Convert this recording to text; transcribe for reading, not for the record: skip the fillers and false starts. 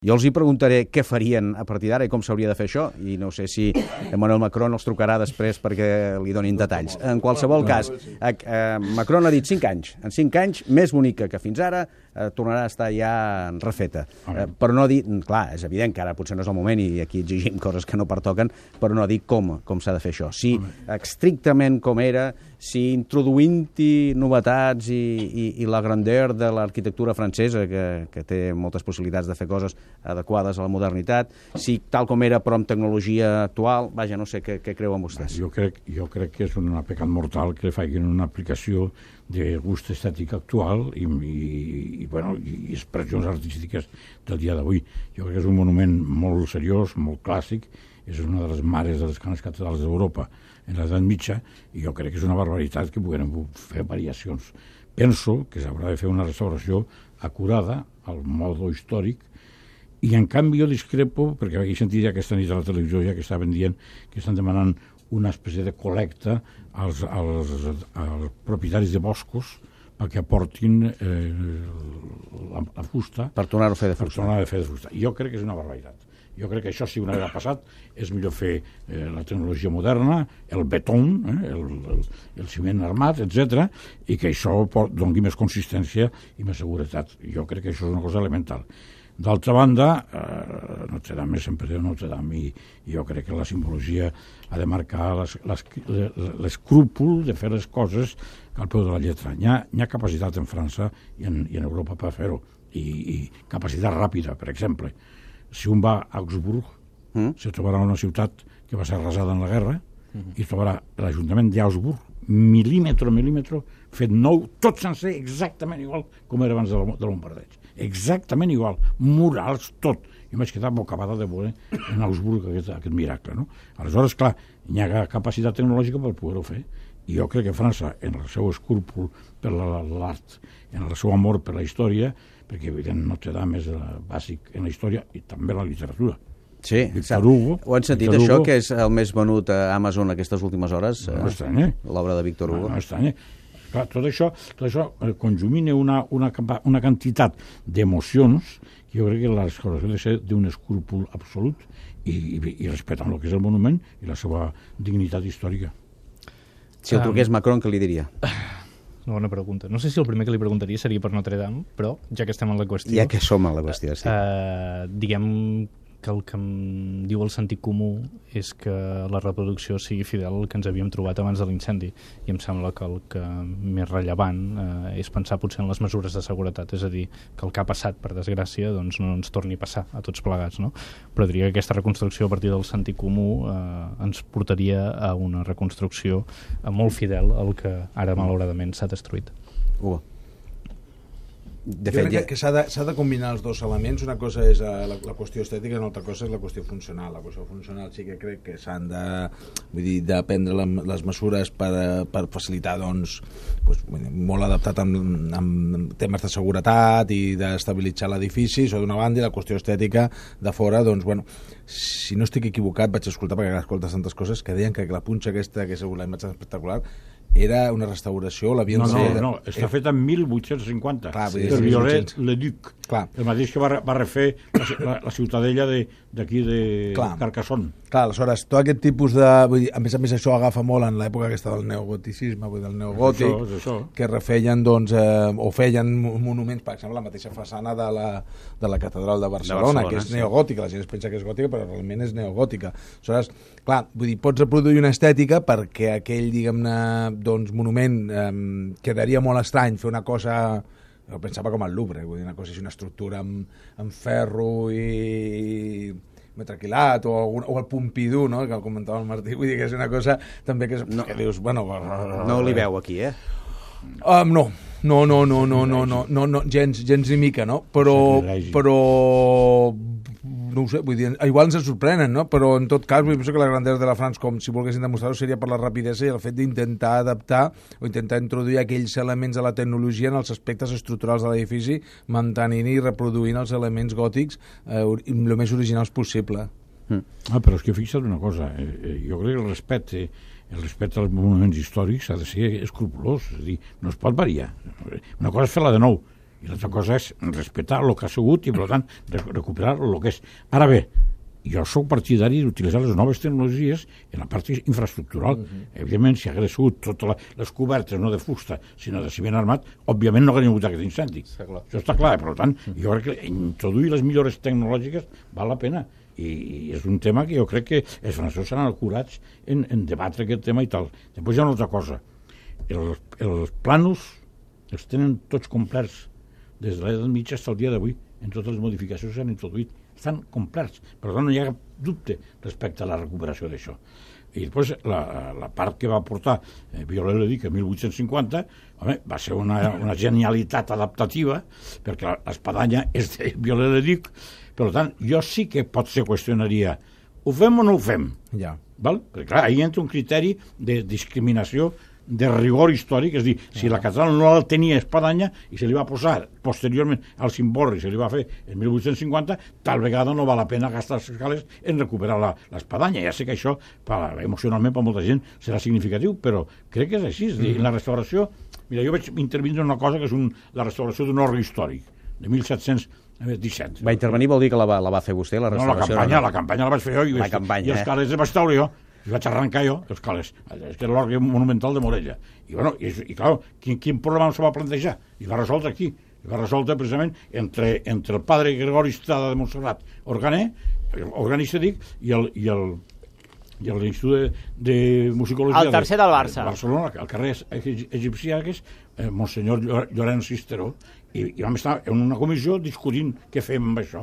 Jo els hi preguntaré què farien a partir d'ara i com s'hauria de fer això, i no sé si Emmanuel Macron els trucarà després perquè li donin detalls. En qualsevol cas, Macron ha dit 5 anys. En 5 anys, més bonica que fins ara, tornarà a estar ja refeta. Però no dir, clar, és evident que ara potser no és el moment i aquí exigim coses que no pertoquen, però no dir com s'ha de fer això. Si estrictament com era, si introduint-hi novetats i la grandeur de l'arquitectura francesa, que té moltes possibilitats de fer coses adequades a la modernitat, si tal com era però amb tecnologia actual, vaja, no sé què creuen vostès. Jo crec que és un pecat mortal que facin una aplicació de gust estètic actual i expressions artístiques del dia d'avui. Jo crec que és un monument molt seriós, molt clàssic, és una de les mares de les grans catedrals d'Europa en l'edat mitja, i jo crec que és una barbaritat que puguem fer variacions. Penso que s'haurà de fer una restauració acurada al modo històric, i en canvi jo discrepo, perquè he sentit ja aquesta nit a la televisió ja que estaven dient que estan demanant una espècie de col·lecta als propietaris de boscos perquè aportin la fusta per tornar-ho a fer de fusta. Jo crec que és una barbaritat. Jo crec que això, si una vegada ha passat, és millor fer la tecnologia moderna, el beton, el ciment armat, etc., i que això doni més consistència i més seguretat. Jo crec que això és una cosa elemental. D'altra banda, Notre Dame sempre diu Notre Dame, i jo crec que la simbologia ha de marcar l'escrúpol de fer les coses al peu de la lletra. Hi ha capacitat en França i en Europa per fer-ho, i capacitat ràpida, per exemple. Si un va a Augsburg, se trobarà una ciutat que va ser arrasada en la guerra, i trobarà l'Ajuntament d'Augsburg, mil·límetre, fet nou, tot sencer, exactament igual com era abans de bombardeig. Exactament igual, murals, tot. Jo m'he quedat bocabada de veure en Augsburg aquest miracle, no? Aleshores, clar, hi ha capacitat tecnològica per poder-ho fer, i jo crec que França, en el seu escrúpol per l'art, en el seu amor per la història, perquè evident Notre Dame és bàsic en la història i també la literatura. Sí, ho han sentit, això, que és el més venut a Amazon aquestes últimes hores? No estranya. L'obra de Víctor Hugo. No estranya. Clar, tot això conjumina una quantitat d'emocions que jo crec que la restauració ha de ser d'un escrúpol absolut i respectant el que és el monument i la seva dignitat històrica. Si el truqués Macron, què li diria? Una bona pregunta. No sé si el primer que li preguntaria seria per Notre Dame, però ja que estem en la qüestió... Ja que som en la qüestió, sí. Diguem que el que em diu el sentit comú és que la reproducció sigui fidel al que ens havíem trobat abans de l'incendi, i em sembla que el que més rellevant és pensar potser en les mesures de seguretat, és a dir, que el que ha passat, per desgràcia, doncs no ens torni a passar a tots plegats, no? Però diria que aquesta reconstrucció a partir del sentit comú ens portaria a una reconstrucció molt fidel al que ara malauradament s'ha destruït. Jo crec que s'ha de combinar els dos elements. Una cosa és la qüestió estètica i una altra cosa és la qüestió funcional. La qüestió funcional sí que crec que s'han de prendre les mesures per facilitar, doncs, molt adaptat amb temes de seguretat i d'estabilitzar l'edifici, això d'una banda, i la qüestió estètica de fora, doncs, bueno, si no estic equivocat, vaig escoltar, perquè escoltes tantes coses, que deien que la punxa aquesta, que és la imatge espectacular, era una restauració, l'havien... No, està feta en 1850, per Viollet-le-Duc, el mateix que va refer la ciutadella d'aquí de Carcassonne. Clar, aleshores, tot aquest tipus de... A més, això agafa molt en l'època aquesta del neogoticisme, del neogòtic, que refeien, doncs, o feien monuments, per exemple, la mateixa façana de la catedral de Barcelona, que és neogòtica, la gent es pensa que és gòtica, però realment és neogòtica. Aleshores, clar, vull dir, pots reproduir una estètica perquè aquell, diguem-ne, doncs, monument quedaria molt estrany fer una cosa... Jo pensava com el Louvre, vull dir, una cosa així, una estructura amb ferro i metraquilat, o el Pompidou, no?, que comentava el Martí, vull dir que és una cosa també que dius, bueno... No li veu aquí, No, gens ni mica, no? Però no ho sé, vull dir, igual ens sorprenen, no? Però en tot cas, penso que la grandesa de la France, com si volguessin demostrar-ho, seria per la rapidesa i el fet d'intentar adaptar o intentar introduir aquells elements de la tecnologia en els aspectes estructurals de l'edifici, mantenint i reproduint els elements gòtics el més originals possible. Però és que fixa't una cosa, jo crec que el respecte als monuments històrics ha de ser escrupolós, és a dir, no es pot variar. Una cosa és fer-la de nou, i l'altra cosa és respectar el que ha sigut i, per tant, recuperar el que és. Ara bé, jo sóc partidari d'utilitzar les noves tecnologies en la part infraestructural. Evidentment, si hagués sigut totes les cobertes, no de fusta, sinó de ciment armat, òbviament no hauria hagut aquest incendi. Això està clar, per tant, jo crec que introduir les millores tecnològiques val la pena. I és un tema que jo crec que els francesos seran acurats en debatre aquest tema i tal. Després hi ha una altra cosa. Els plànols els tenen tots complerts des de l'edat mitja fins al dia d'avui, en totes les modificacions que s'han introduït. Estan complerts, per tant no hi ha cap dubte respecte a la recuperació d'això. I després la part que va portar Viollet-le-Duc en 1850, home, va ser una genialitat adaptativa, perquè l'espadanya és de Viollet-le-Duc. Per tant, jo sí que potser qüestionaria, ho fem o no ho fem? Ja. Val? Perquè clar, ahí entra un criteri de discriminació de rigor històric, és a dir, si la catedral no la tenia espadanya i se li va posar posteriorment al cimborri, se li va fer en 1850, tal vegada no val la pena gastar els escales en recuperar l'espadanya. Ja sé que això, emocionalment, per molta gent serà significatiu, però crec que és així. És a dir, la restauració... Mira, jo vaig intervindre en una cosa que és la restauració d'un orgue històric, de 1717. Va intervenir vol dir que la va fer vostè, la restauració? No, la campanya la vaig fer jo i els calés els vaig treure jo. I vaig arrencar jo els calés. És que era l'orgue monumental de Morella. I, bueno, i clar, quin problema se va plantejar? I va resoldre aquí. I va resoldre precisament entre el padre Gregori Estrada de Montserrat, organista, dic, i l'Institut de Musicologia... El tercer del Barça. De Barcelona, al carrer egipcià, que és Monsenyor Llorenç Cisteró. I vam estar en una comissió discutint què fem amb això.